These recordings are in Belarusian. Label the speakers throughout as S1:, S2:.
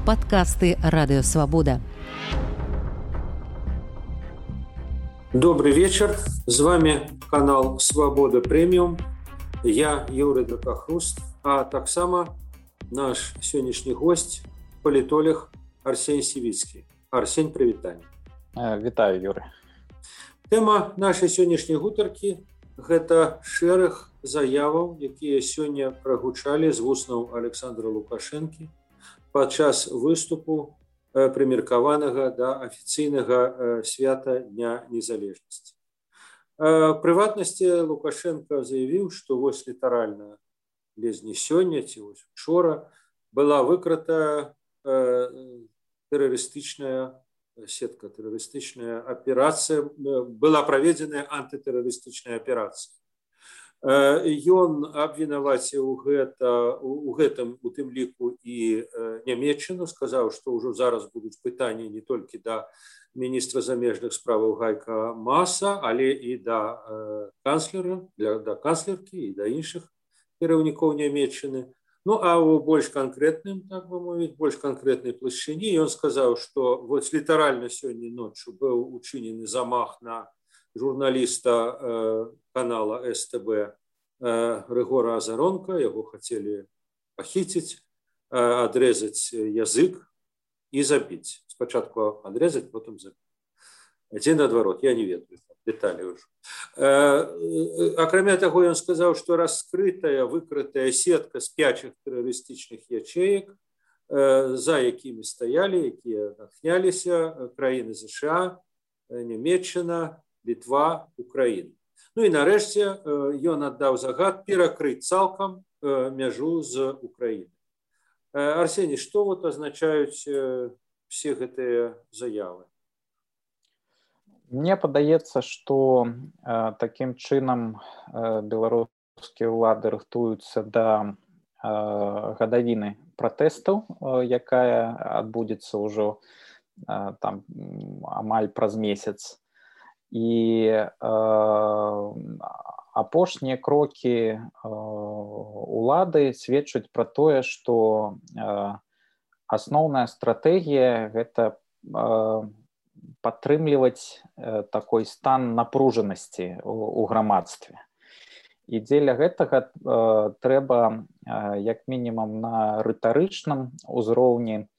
S1: Подкасты «Радио Свобода».
S2: Добрый вечер. С вами канал «Свобода Премиум». Я Юрий Дракохруст, а таксама наш сегодняшний гость – политолог Арсень Сивицкий. Арсень, привитание.
S3: Вітаю, Юрий.
S2: Тема нашей сегодняшней гутаркі – гэта шэраг заяваў, якія сёння прагучалі з вуснаў Александра Лукашэнкі падчас выступу прымеркаванага да афіцыйнага свята Дня незалежнасці. Прыватнасці Лукашенко заявіў, што вось літаральна без не сёння ці вось учора была выкрыта тэрарыстычная сетка, тэрарыстычная аперацыя, была праведзеная антытэрарыстычная аперацыя. Ён абвінаваціў у гэтым у тым ліку і Нямецчыну, сказаў, што ўжо зараз будуць пытанні не толькі да міністра замежных справаў Гайка Мааса, але і да канцлера, да канцлеркі і да іншых кіраўнікоў Нямецчыны. Ну, а ў больш канкрэтным, так бы мовіць, больш канкрэтнай плашчыні ён сказаў, што вось літаральна сёння ноччу быў учынены замах на журналіста канала СТБ Григора Азаронка, яго хацелі пахіціць, адрэзаць язык і забіць. Спачатку адрэзаць, потым забіць. Ці наадварот, я не ведаю дэталі ўжо. Акрамя таго, ён сказаў, што раскрытая, выкрытая сетка з 5 тэрарыстычных ячеек, за якімі стаялі, якія натхняліся краіны ЗША, Нямецчына, Літва, Украіна. Ну і нарэшце ён аддаў загад перакрыць цалкам мяжу з Украінай. Арсений, што вот азначаюць все гэтыя заявы?
S3: Мне падаецца, што такім чынам беларускія ўлады рыхтуюцца да гадавіны пратэстаў, якая адбудзецца ўжо там амаль праз месяц. І апошнія крокі улады сведчаць пра тое, што асноўная стратэгія – гэта падтрымліваць такой стан напружанасці ў грамадстве. І дзеля гэтага трэба, як мінімум на рытарычным узроўні,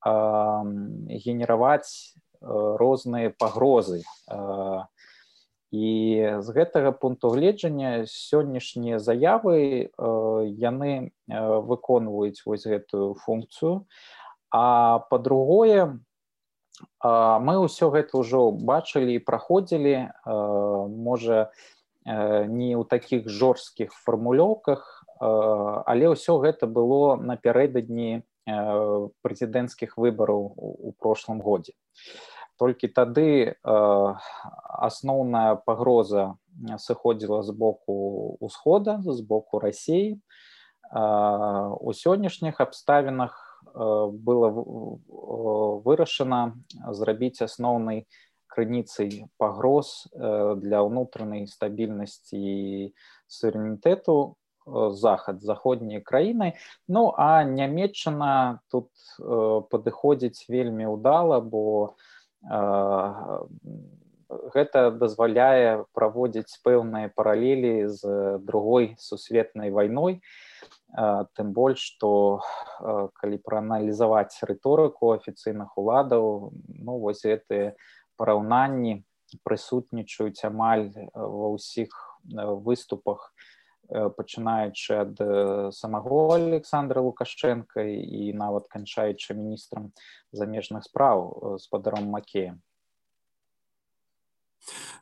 S3: генераваць розныя пагрозы. І з гэтага пункту гледжання сённяшнія заявы яны выконваюць вось гэтую функцыю. А па-другое, мы ўсё гэта ўжо бачылі і праходзілі, можа, не ў такіх жорсткіх фармулёўках, але ўсё гэта было напярэдадні прэзідэнцкіх выбараў у прошлым годзе. Толькі тады асноўная пагроза сыходзіла з боку ўсхода, з боку Расіі. У сённяшніх абставінах было вырашана зрабіць асноўнай крыніцай пагроз для ўнутранай стабільнасці і суверэнітэту заходнія краіны. Ну, а Нямецчына тут падыходзіць вельмі ўдала, бо гэта дазваляе праводзіць пэўныя паралелі з другой сусветнай вайной, тым больш, што калі прааналізаваць рыторыку афіцыйных уладаў, ну, вось гэтыя параўнанні прысутнічаюць амаль ва ўсіх выступах, пачынаючы ад самого Александра Лукашенка і нават канчаючы міністрам замежных спраў спадаром Макеем.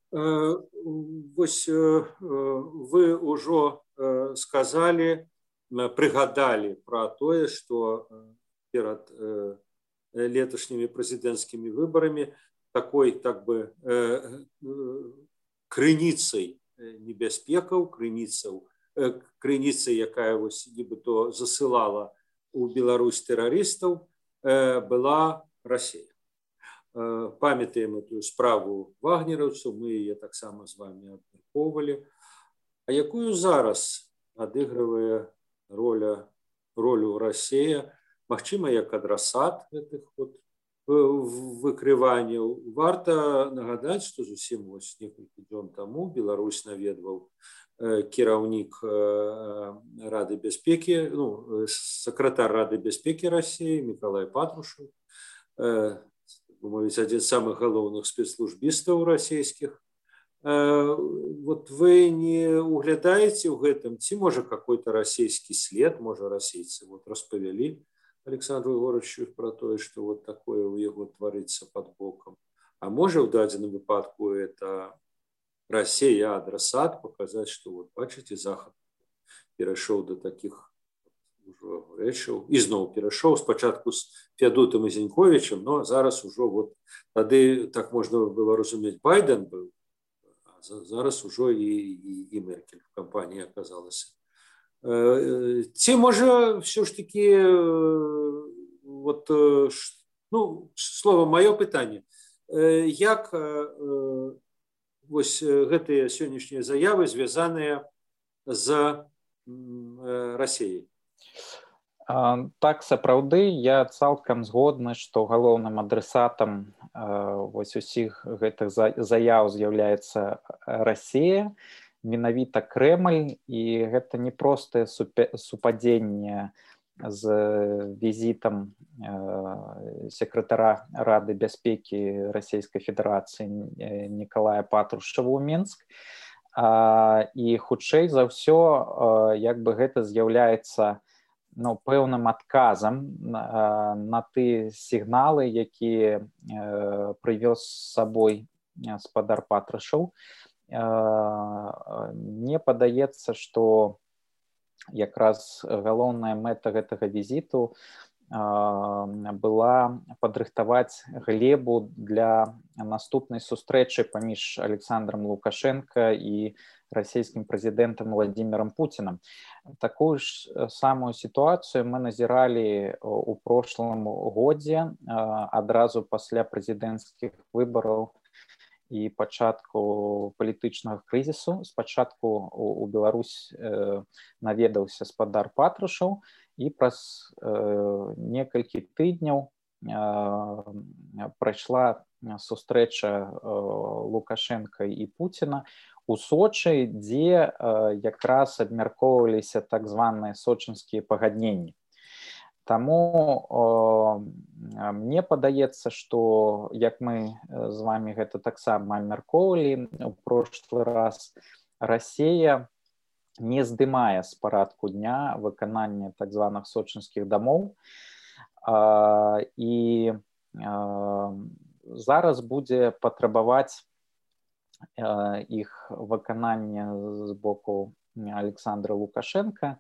S2: Вось вы ўжо сказалі, прыгадалі пра тое, што перад леташнімі прэзідэнцкімі выбарамі такой, так бы, крыніцай небяспекаў, крыніцай, якая вось нібыто засылала у Беларусь тэрарыстаў, была Расія. Памятаем эту справу вагнераўцаў, мы яе таксама з вами абмяркоўвалі. А якую зараз адыгрывае ролю Расія магчыма, як адрасат гэтых выкрыванняў. Варта нагадаць, што зусім некалькі дзён таму Беларусь наведваў кіраўнік Рады бяспекі, сакратар Рады бяспекі Расіі Мікалай Патрушаў, мовіць, адзін з самых галоўных спецслужбістаў расійскіх. Вот вы не углядаеце ў гэтым, ці можа какой-то расійскі след, можа расейцы распавялі Александру Егоровичу про тое, што вот такое у яго тварыцца под бокам. А можа ў дадзеным выпадку это Россия адресат, показать, что вот бачите, Захад перешел до таких рэчаў, і зноў перешел спачатку з Феадутам і Зіньковічем, но зараз ужо вот тады так можна было разумець, Байден был, а зараз ужо і Меркель в кампании оказалась. Ці можа все ж таки вот, слово маё пытанне, як вось гэтыя сённяшнія заявы звязаныя з Расіяй?
S3: Так, сапраўды, я цалкам згодны, што галоўным адресатам вось усіх гэтых заяў з'яўляецца Расія, менавіта Крэмль, і гэта не простае супадзенне з візітам сакратара Рады бяспекі Расійскай Федэрацыі Мікалая Патрушава ў Мінск, і хутчэй за ўсё як бы гэта з'яўляецца пэўным адказам на тыя сігналы, якія прывёз з сабой гаспадар Патрушаў. Мне падаецца, што якраз галоўная мэта гэтага візіту была падрыхтаваць глебу для наступнай сустрэчы паміж Александром Лукашенко і расійскім прэзідэнтам Владимиром Путиным. Такую ж самую сітуацыю мы назіралі ў прошлым годзе, адразу пасля прэзідэнцкіх выбараў і пачатку палітычнага крызісу. Спачатку у Беларусь наведаўся гаспадар Патрушаў, і праз некалькі тыдняў прайшла сустрэча Лукашенка і Путіна у Сочы, дзе якраз абмяркоўваліся так званыя сочынскія пагадненні. Таму мне падаецца, што, як мы з вами гэта таксама абмяркоўвалі ў прошлы раз, Расія не здымае з парадку дня выканання так званых сочынскіх дамоў, і зараз будзе патрабаваць іх выканання з боку Александра Лукашенка.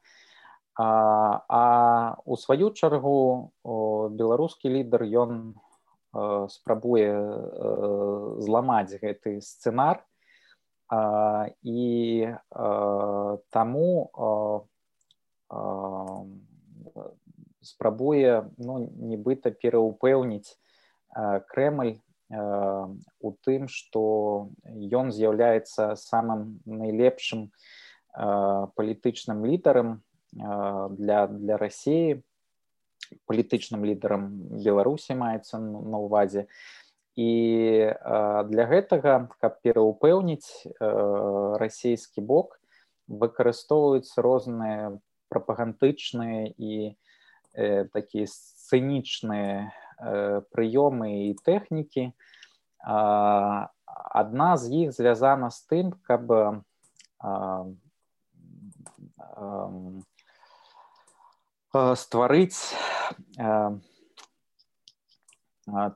S3: А у сваю чаргу беларускі лідар, ён спрабуе зламаць гэты сцэнар, і таму спрабуе нібыта пераўпэўніць Крэмль у тым, што ён з'яўляецца самым найлепшым палітычным лідарам для Расіі, палітычным лідарам Беларусі маецца на ўвазе. І для гэтага, каб пераўпэўніць расійскі бок, выкарыстоўваюцца розныя прапагандычныя і такія сцэнічныя прыёмы і тэхнікі. Адна з іх звязана з тым, каб стварыць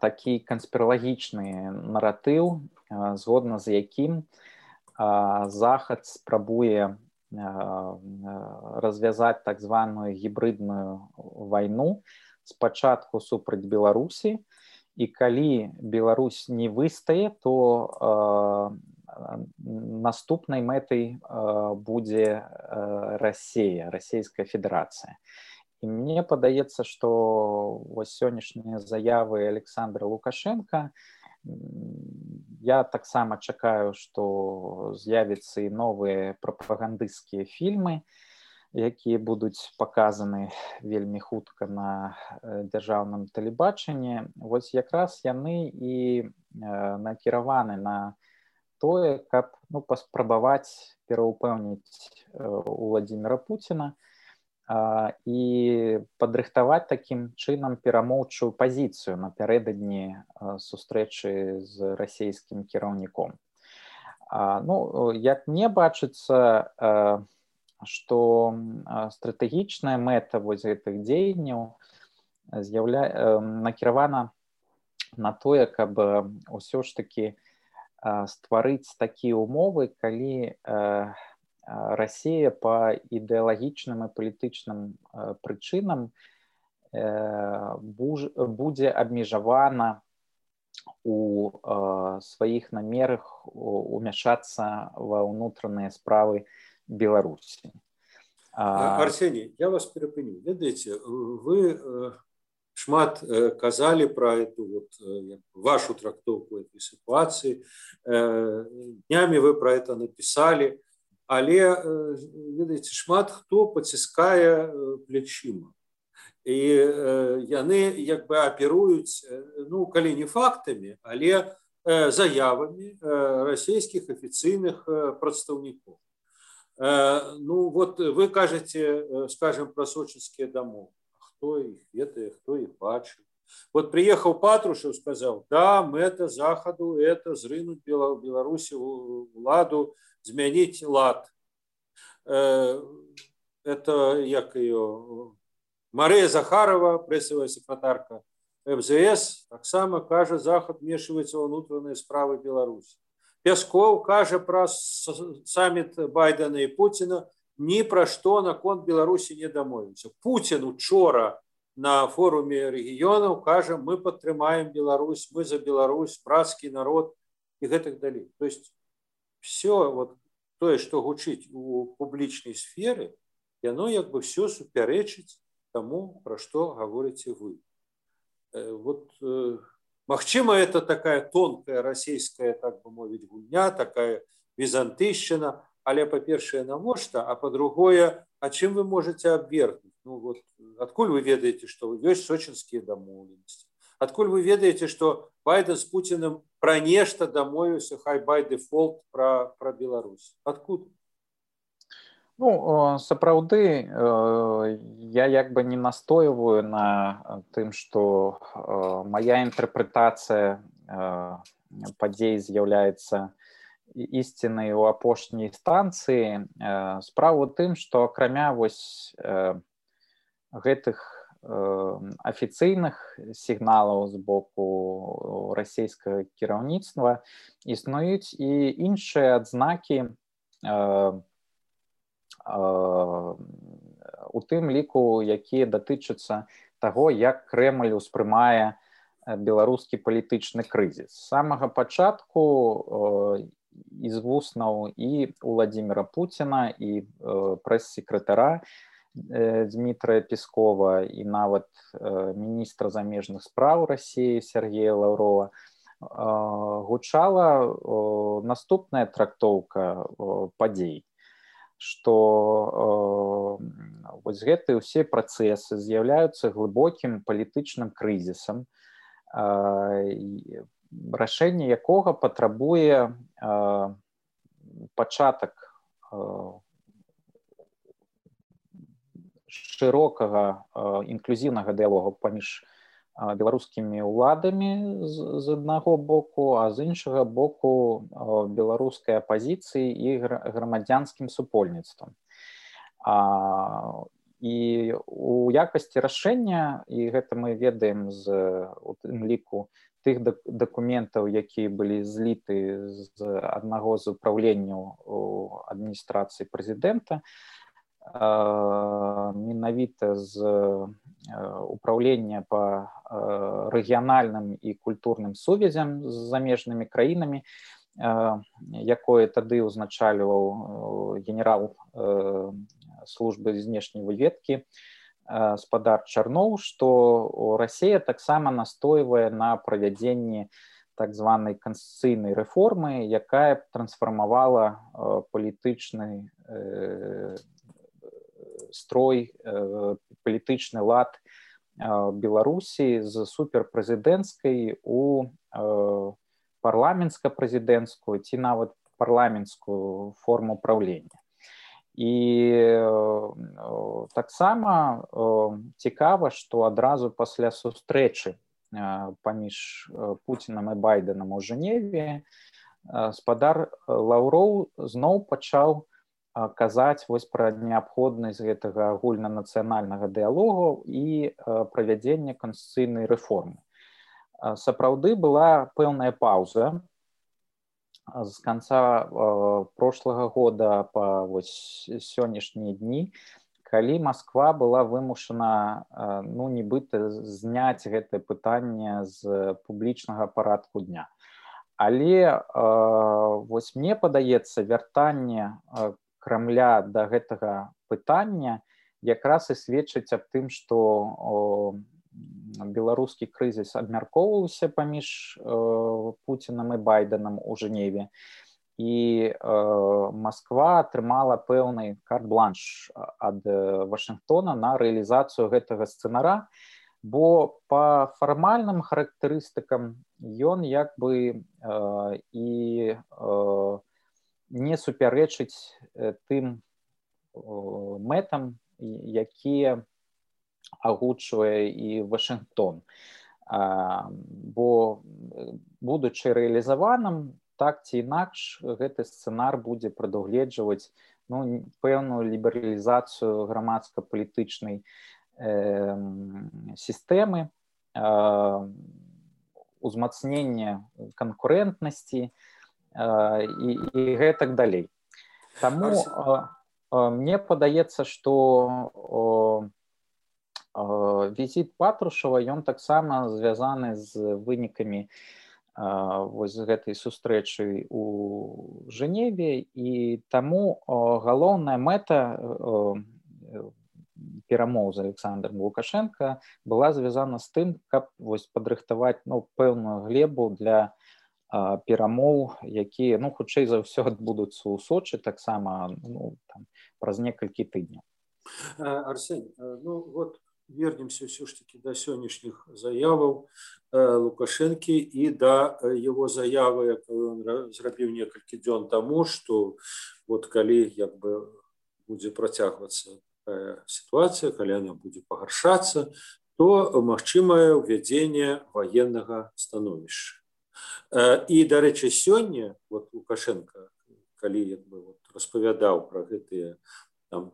S3: такі канспіралагічны наратыў, згодна з якім Захад спрабуе развязаць так званую гібридную вайну спачатку супраць Беларусі, і калі Беларусь не выстае, то наступнай мэтай будзе Расія, Расійская Федэрацыя. І мне падаецца, што вось сённяшнія заявы Александра Лукашенка, я таксама чакаю, што з'явяцца і новыя прапагандысцкія фільмы, якія будуць паказаны вельмі хутка на дзяржаўным тэлебачанні, вось якраз яны і накіраваны на тое, каб паспрабаваць пераўпэўніць Владзіміра Пуціна і падрыхтаваць такім чынам перамоўчую пазіцыю напярэдадні сустрэчы з расійскім кіраўніком. Як мне бачыцца, што стратэгічная мэта вось гэтых дзеянняў накіравана на тое, каб усё ж такі стварыць такія ўмовы, калі Расія па ідэалагічным і палітычным прычынам будзе абмежавана у сваіх намерах умяшацца ва ўнутраныя справы Беларусі.
S2: Арсений, я вас перапыню. Ведаеце, вы шмат казалі пра эту вашу трактоўку этой сітуацыі. Днямі вы пра это напісалі. Але, ведаеце, шмат хто паціскае плечыма. І яны як бы аперуюць, калі не фактамі, але заявамі расійскіх афіцыйных прадстаўнікоў. Вы кажаце, скажем, пра сочынскія дамовы. Хто іх ведае, хто іх бачыў. Приехал Патрушев, сказал, да, мэта Захаду – это зрынуть Беларуси уладу, змянить лад. Это, як ее, Мария Захарова, прессовая секретарка МЗС, так само кажа, Захад вмешивается во внутренние справы Беларуси. Пясков кажа про саммит Байдена и Путина, ни про что наконт Беларуси не домовился. Путин учора на форуме регионов кажа, мы подтримаем Беларусь, мы за Беларусь, братский народ и так далее. То есть все то, что гучить у публичной сферы, оно как бы все суперечить тому, про что говорите вы. Магчыма, это такая тонкая российская, так бы мовить, гульня, такая византыйщина, але по-першае, навошта, а по-другое, а чым вы можете абвергнуць? Адкуль вы ведаеце, што ёсць сочынскія дамоўленасці? Адкуль вы ведаеце, што Байден з Пуціным пра нешта дамовіўся, хай by default пра Беларусь? Адкуль?
S3: Сапраўды, я як бы не настойваю на тым, што моя інтэрпрэтацыя падзей з'яўляецца ісцінай у апошняй станцыі. Справа ў тым, што акрамя гэтых афіцыйных сігналаў з боку расійскага кіраўніцтва існуюць і іншыя адзнакі, у тым ліку, якія датычацца таго, як Крэмль успрымае беларускі палітычны крызіс. З самага пачатку з вуснаў і Владзіміра Пуціна, і прэс-секратара Дмітрая Пескова, і нават міністра замежных спраў Расіі Сергея Лаўрова гучала наступная трактоўка падзей, што гэтыя ўсе працэсы з'яўляюцца глыбокім палітычным крызісам, рашэнне якога патрабуе пачатак шырокага інклюзіўнага дыялогу паміж беларускімі ўладамі з аднаго боку, а з іншага боку беларускай апазіцыі і грамадзянскім супольніцтвам. І у якасці рашэння, і гэта мы ведаем у тым ліку тых дакументаў, якія былі зліты з аднаго з упраўленняў адміністрацыі прэзідэнта, менавіта з управлення па рэгіянальным і культурным сувязям з замежнымі краінамі, якое тады ўзначальваў генерал службы знешняй разведкі спадар Чарноў, што Расія таксама настойвае на правядзенні так званай канстытуцыйнай рэформы, якая трансфармавала палітычны строй, палітычны лад Беларусі з суперпрэзідэнцкай у парламенцка-прэзідэнцкую ці нават парламенцкую форму правлення. І таксама цікава, што адразу пасля сустрэчы паміж Пуцінам і Байденам у Жэневе спадар Лаўроў зноў пачаў казаць вось пра неабходнасць гэтага агульнанацыянальнага дыялогу і правядзення канстытуцыйнай рэформы. Сапраўды была пэўная паўза з канца прошлага года па сённяшнія дні, калі Масква была вымушана нібыта зняць гэтае пытанне з публічнага парадку дня. Але вось мне падаецца, вяртанне Крамля да гэтага пытання якраз і сведчыць аб тым, што беларускі крызіс абмяркоўваўся паміж Пуцінам і Байденам у Жэневе, і Масква атрымала пэўны карт-бланш ад Вашынгтона на рэалізацыю гэтага сцэнара, бо па фармальным характарыстыкам ён як бы і не супярэчыць тым мэтам, якія агучвае і Вашынгтон. Бо, будучы рэалізаваным, так ці інакш, гэты сцэнар будзе прадугледжваць пэўную лібералізацыю грамадска-палітычнай сістэмы, узмацнення канкурэнтнасці і гэтак далей. Таму мне падаецца, што візіт Патрушева, ён таксама звязаны з вынікамі вось гэтай сустрэчы у Жэневе, і таму галоўная мэта перамоў з Александром Лукашенко была звязана з тым, каб вось падрыхтаваць пэўную глебу для перамоў, якія хутчэй за ўсё адбудуцца ў Сочы таксама праз некалькі тыдняў.
S2: Арсень, вот вернемся все-таки до сегодняшних заяваў Лукашенко и до его заявы, якую он зрабіў некалькі дзён тому, что вот калі як бы будзе працягвацца такая ситуация, калі она будет пагаршацца, то магчымае ўвядзенне военнага становішча. И, дарэчы, сёння вот Лукашенко, калі як бы распавядаў про гэтыя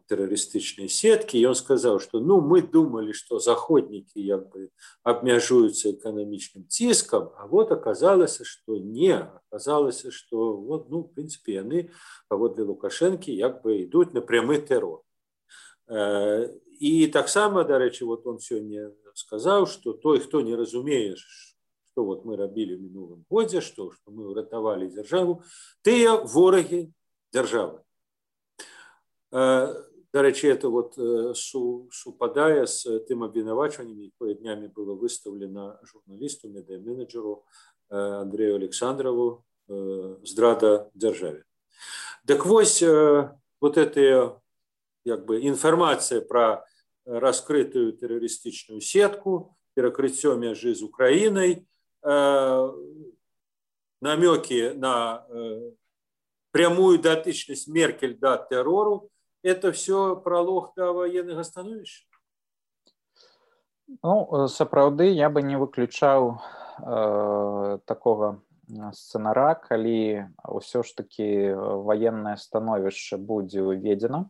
S2: террористичные сетки, и он сказал, что мы думали, что заходники як бы обмяжуются экономичным тиском, а вот оказалось, что не. Оказалось, что в принципе, они, паводле Лукашенко, як бы идут на прямый террор. И так само, дарэчы, вот он сегодня сказал, что той, кто не разумее, что вот мы робили в минулом году, что мы уратовали державу, тыя вораги державы. Дарэчы, это вот супадае с тым абвінавачваннем, якое днямі было выставлено журналисту, медиа-менеджеру Андрею Александрову, здрада державе. Так вось, вот эта як бы информация про раскрытую террористичную сетку, перекрытие межи с Украиной, намеки на прямую дотычность Меркель до террору, это все пролог до военных становішча?
S3: Сапраўды, я бы не выключаў такого сцэнара, калі ўсё ж таки военное становішча будзе ўведзена.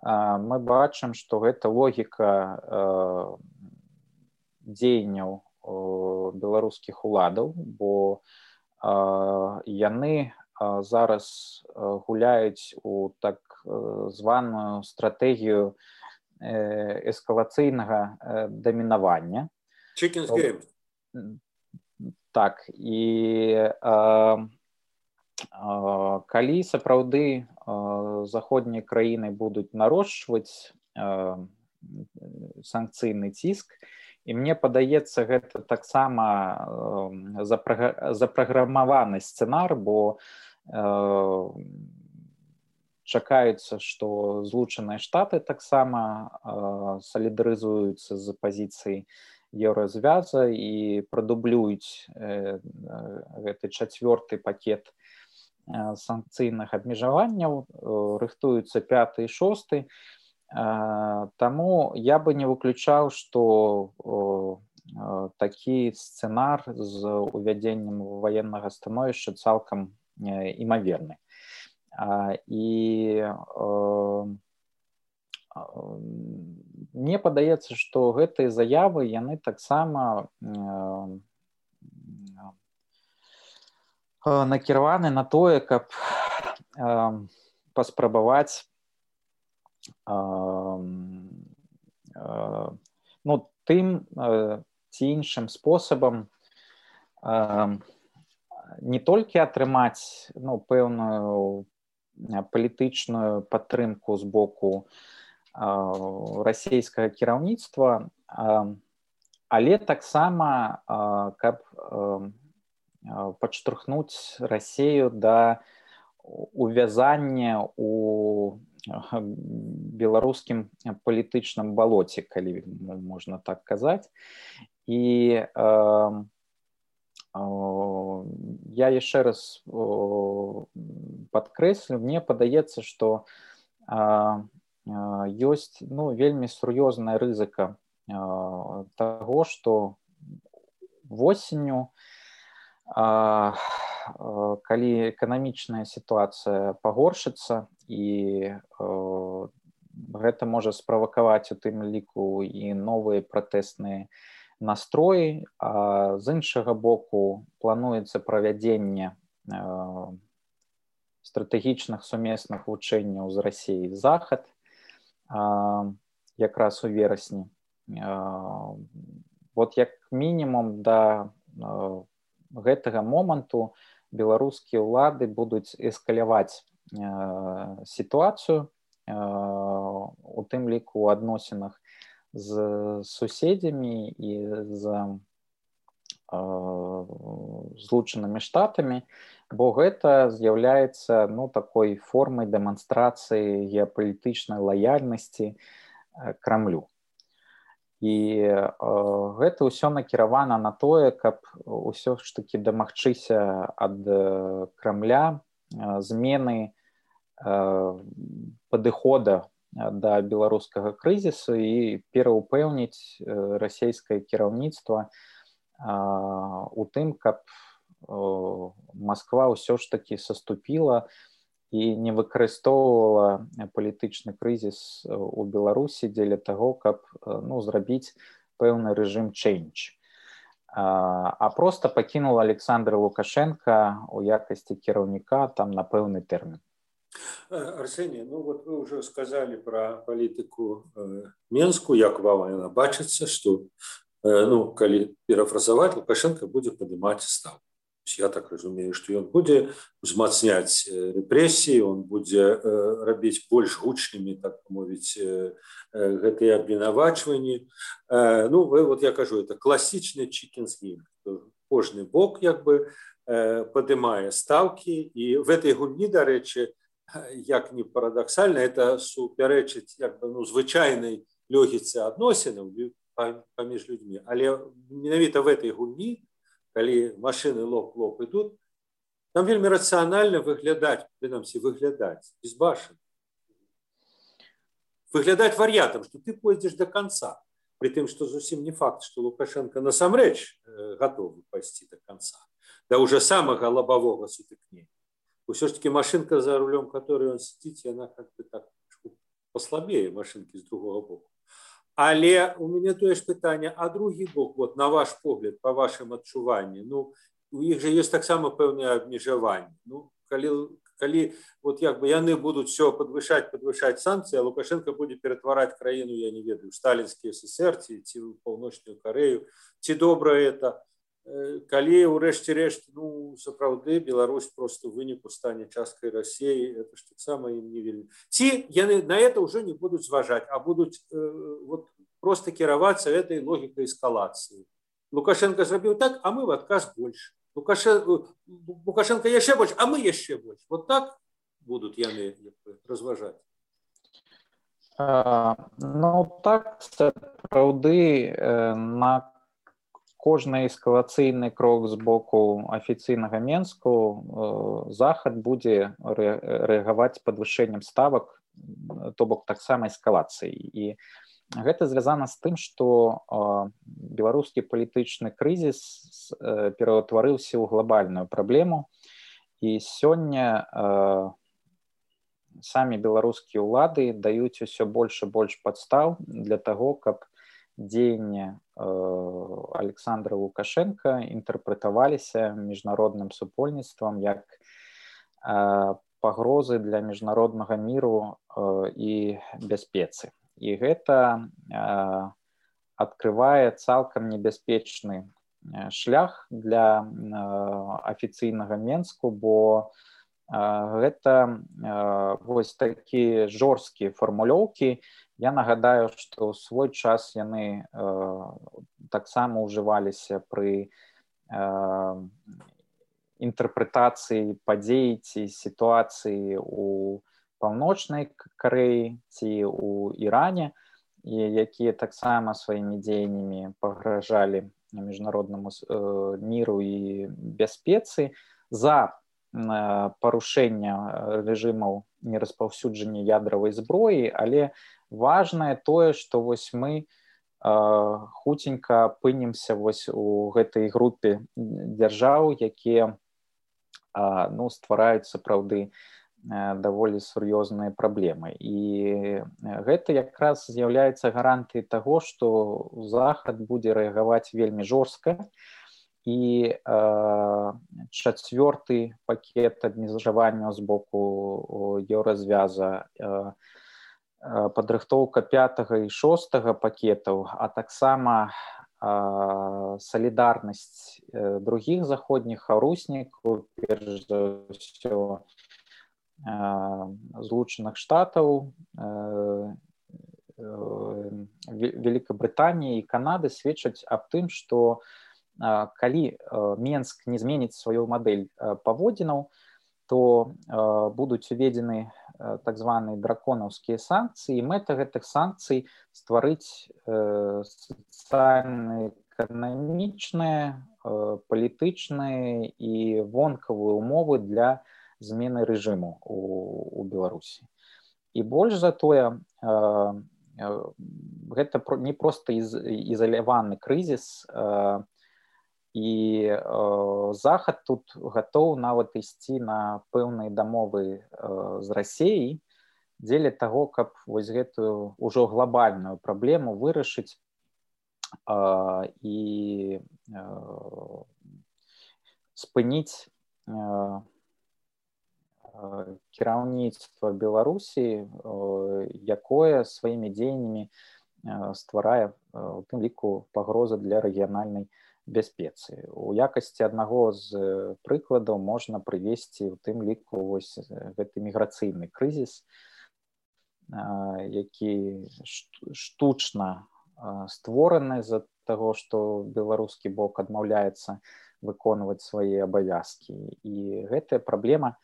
S3: Мы бачым, што гэта логіка дзеянняў беларускіх уладаў, бо яны зараз гуляюць у так званую стратэгію эскалацыйнага дамінавання.
S2: Chicken's game.
S3: Так, і калі сапраўды заходнія краіны будуць нарошчваць санкцыйны ціск, і мне падаецца, гэта таксама запраграмаваны сцэнар, бо чакаецца, што Злучаныя Штаты таксама салідарызуюцца з пазіцыяй еўразвяза і прадублююць гэты 4-й пакет санкцыйных абмежаванняў, рыхтуюцца 5-й і 6-й. Таму я бы не выключаў, што такі сцэнар з увядзеннем ваеннага становішча цалкам імаверны. І мне падаецца, што гэтыя заявы, яны таксама накіраваны на тое, каб паспрабаваць тым ці іншым спосабам не толькі атрымаць пэўную палітычную падтрымку з боку расійскага кіраўніцтва, але таксама каб падштурхнуць Расію да увязання у беларускім палітычным балоце, калі можна так казаць. І я яшчэ раз падкрэслю, мне падаецца, што ёсць вельмі сур'ёзная рызыка таго, што восенню, калі эканамічная сітуацыя пагоршыцца, і гэта можа справакаваць у тым ліку і новыя пратэсныя настроі, а з іншага боку плануецца правядзенне стратэгічных сумесных вучэнняў з Расіяй захад якраз у верасні. Вот як мінімум да гэтага моманту беларускія ўлады будуць эскаляваць сітуацыю, у тым ліку у адносінах з суседзямі і з Злучанымі Штатамі, бо гэта з'яўляецца такой формай дэманстрацыі геапалітычнай лаяльнасці Крамлю. І гэта ўсё накіравана на тое, каб усё ж такі дамагчыся ад Крамля змены падыхода да беларускага крызісу і пераўпэўніць расійскае кіраўніцтва у тым, каб Масква ўсё ж такі саступіла і не выкарыстоўвала палітычны крызіс у Беларусі дзеля таго, каб зрабіць пэўны рэжым change. А проста пакінула Александра Лукашенка у якасці кіраўніка там на пэўны тэрмін.
S2: Арсений, вот вы уже сказали про политику Менскую, як вам она бачится, что, коли перефразовать, Лукашенко будет поднимать ставку. Я так разумею, что он будет узмацнять репрессии, он будет робить больше гучными, так мовить, гэтые обвинувачивания. Вот я кажу, это классичный чикен's game. Кожный бок, поднимая ставки, и в этой гульні, до речі, як не парадоксальна, это суперечить звычайнай логіцы адносінаў паміж людьми. Але менавіта в этой гульні, калі машины лоб-лоб ідут, там вельмі рацыянальна выглядаць, безбашен. Выглядаць вар'ятам, што ты пойдзеш до конца. При тым, што зусім не факт, што Лукашенко насамрэч готовы пайсці до конца. Да уже самого лобового сутыкнення. Все ж таки машинка, за рулем которой он сидит, она как-то так послабее машинки с другого боку. Але у меня то есть питание, а другий бок, вот на ваш погляд, по вашим адчуванням, у них же есть так само певне обмежевание. Коли вот яны будут все подвышать санкции, а Лукашенко будет перетворать краину, я не ведаю, в сталинский СССР, ці в Паўночную Корею, ці добра это. Калі ўрэшце-рэшт, сапраўды Беларусь просто ў выніку стане часткай России, это ж таксама ім не вельмі. Ці яны на это уже не будуць зважаць, а будуць просто кіравацца этой логікай эскалацыі. Лукашенко зрабіў так, а мы в адказ больше. Лукашенко яшчэ больш, а мы яшчэ больш. Вот так будуць яны разважаць?
S3: Ну так, сапраўды, на кожны эскалацыйны крок з боку афіцыйнага Менску захад будзе рэагаваць падвышэннем ставак, то бок таксама эскалацыі. І гэта звязана з тым, што беларускі палітычны крызіс пераўтварыўся ў глобальную праблему, і сёння самі беларускія ўлады даюць усё больш і больш падстаў для таго, каб дзеянні Александра Лукашенка інтэрпрэтаваліся міжнародным супольніцтвам як пагрозы для міжнароднага міру і бяспецы. І гэта адкрывае цалкам небяспечны шлях для афіцыйнага Менску, бо гэта вось такія жорсткія фармулёўкі. Я нагадаю, што ў свой час яны таксама ўжываліся пры інтэрпрэтацыі падзей ці сітуацыі ў Паўночнай Карэі ці ў Іране, якія таксама сваімі дзеяннямі пагражалі міжнароднаму міру і бяспецы за парушэння рэжымаў нераспаўсюджання ядравай зброі, але важнае тое, што вось мы хуценька апынемся вось у гэтай групе дзяржаў, якія ствараюць сапраўды даволі сур'ёзныя праблемы. І гэта якраз з'яўляецца гарантыяй таго, што захад будзе рэагаваць вельмі жорстка. І чацвёрты пакет абмежаванняў з боку еўразвяза, падрыхтоўка 5-га і 6-га пакетаў, а таксама салідарнасць другіх заходніх хаўруснікаў, перш за ўсё Злучаных Штатаў, Великабрытаніі і Канады сведчаць аб тым, што калі Менск не зменіць сваю мадэль паводзінаў, то будуць уведзены так званыя драконаўскія санкцыі. Мэта гэтых санкцый стварыць сацыяльна-эканамічныя, палітычныя і вонкавыя ўмовы для змены рэжыму у Беларусі. І больш за тое, гэта не проста ізаляваны крызіс, і захад тут гатоў нават ісці на пэўныя дамовы з Расіяй дзеля таго, каб вось гэтую ўжо глобальную праблему вырашыць і спыніць кіраўніцтва Беларусі, якое сваімі дзеяннямі стварае у тым ліку пагрозы для рэгіянальнай бяспецы. У якасці аднаго з прыкладаў можна прывесці у тым ліку вось гэты міграцыйны крызіс, які штучна створаны з-за таго, што беларускі бок адмаўляецца выконваць свае абавязкі. І гэтая праблема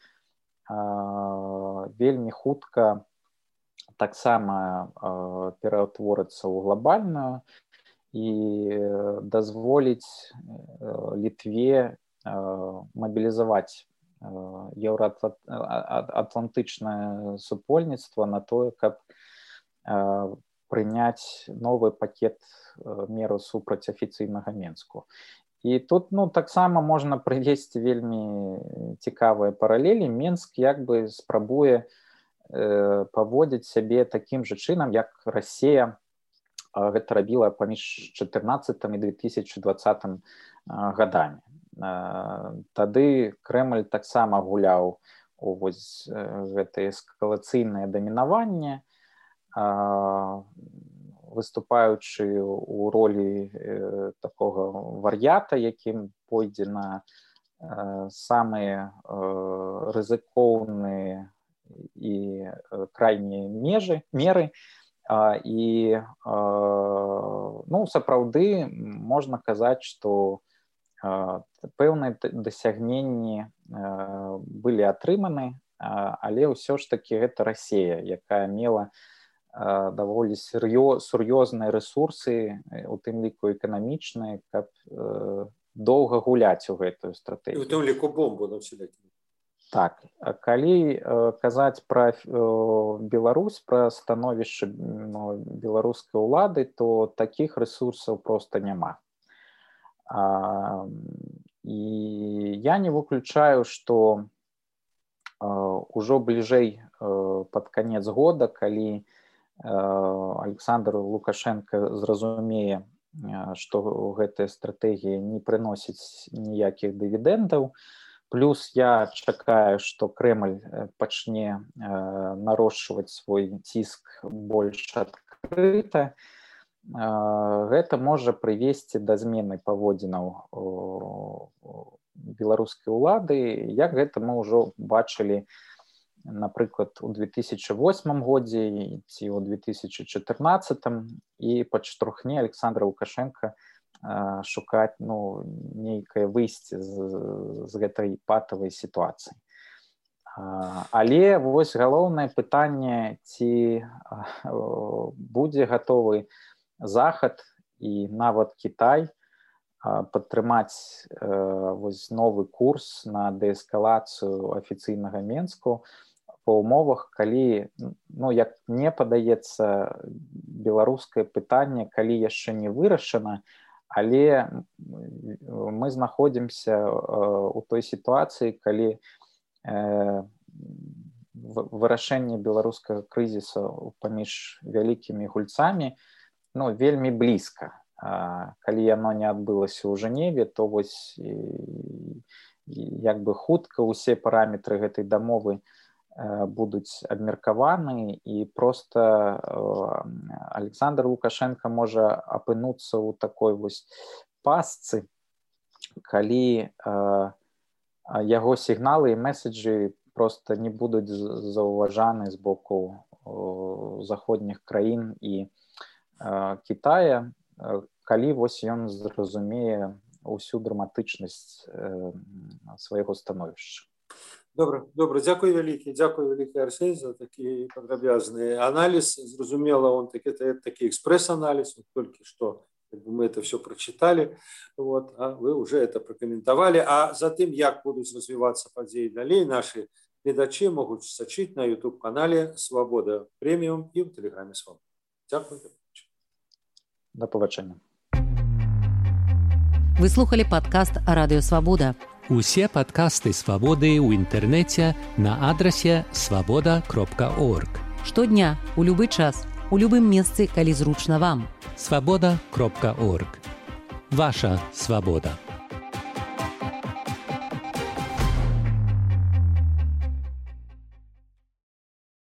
S3: вельмі хутка таксама пераўтворыцца ў глобальную і дазволіць Літве мабілізаваць еўраатлантычнае супольніцтва на тое, каб прыняць новы пакет мераў супраць афіцыйнага Менску. І тут таксама можна прывесці вельмі цікавыя паралелі. Менск як бы спрабуе паводзіць сябе такім жа чынам, як Расія гэта рабіла паміж 2014 і 2020 гадамі. Тады Крэмль таксама гуляў у вось гэтае эскалацыйнае дамінаванне, выступаючы ў ролі такога вар'ята, якім пойдзе на самыя рызыкоўныя і крайнія меры. І сапраўды можна казаць, што пэўныя дасягненні былі атрыманы, але ўсё ж таки гэта Расія, якая мела даволі сур'ёзныя рэсурсы, у тым ліку эканамічныя, каб доўга гуляць у гэтую стратэгію.
S2: У тым ліку бомбу на ўсялякі.
S3: Так, калі казаць пра Беларусь, пра становішча беларускай улады, то такіх рэсурсаў проста няма. І я не выключаю, што ўжо бліжэй пад канец года, калі Александр Лукашенко зразумее, што гэтая стратэгія не прыносіць ніякіх дывідэндаў, плюс я чакаю, што Крэмль пачне нарошчваць свой ціск больш адкрыта, гэта можа прывесці да змены паводзінаў беларускай улады, як гэта мы ўжо бачылі, напрыклад, у 2008 годзе ці ў 2014, і падштурхне Александра Лукашенка шукаць нейкае выйсце з гэтай патавай сітуацыі. Але вось галоўнае пытанне, ці будзе гатовы Захад і нават Кітай падтрымаць вось новы курс на дээскалацыю афіцыйнага Менску па ўмовах, калі, як мне падаецца, беларускае пытанне, калі яшчэ не вырашана, але мы знаходзімся ў той сітуацыі, калі вырашэнне беларускага крызісу паміж вялікімі гульцамі вельмі блізка. Калі яно не адбылася ў Жэневе, то вось як бы хутка ўсе параметры гэтай дамовы будуць абмеркаваны, і проста Александр Лукашенко можа апынуцца ў такой вось пастцы, калі яго сігналы і меседжы проста не будуць заўважаны з боку заходніх краін і Кітая, калі вось ён зразумее ўсю драматычнасць свайго становішча.
S2: Добра, дзякуй вялікі, Арсень, за такі падрабязны аналіз. Зразумела, он такі экспрэс-аналіз, толькі што мы это все прочитали, а вы уже это прокомментовали. А за тым, як будуць развівацца падзеі далей, наши гледачы могуць сачыць на YouTube-канале «Свабода Прэміум» і ў тэлеграме «Свабода». Дзякуй.
S3: До побачення.
S1: Вы слухали падкаст «Радыё Свабода».
S4: Усе падкасты «Свабоды» ў інтэрнэце на адрасе свабода.орг.
S1: Штодня, у любы час, у любым месцы, калі зручна вам.
S4: Свабода.орг. Ваша свабода.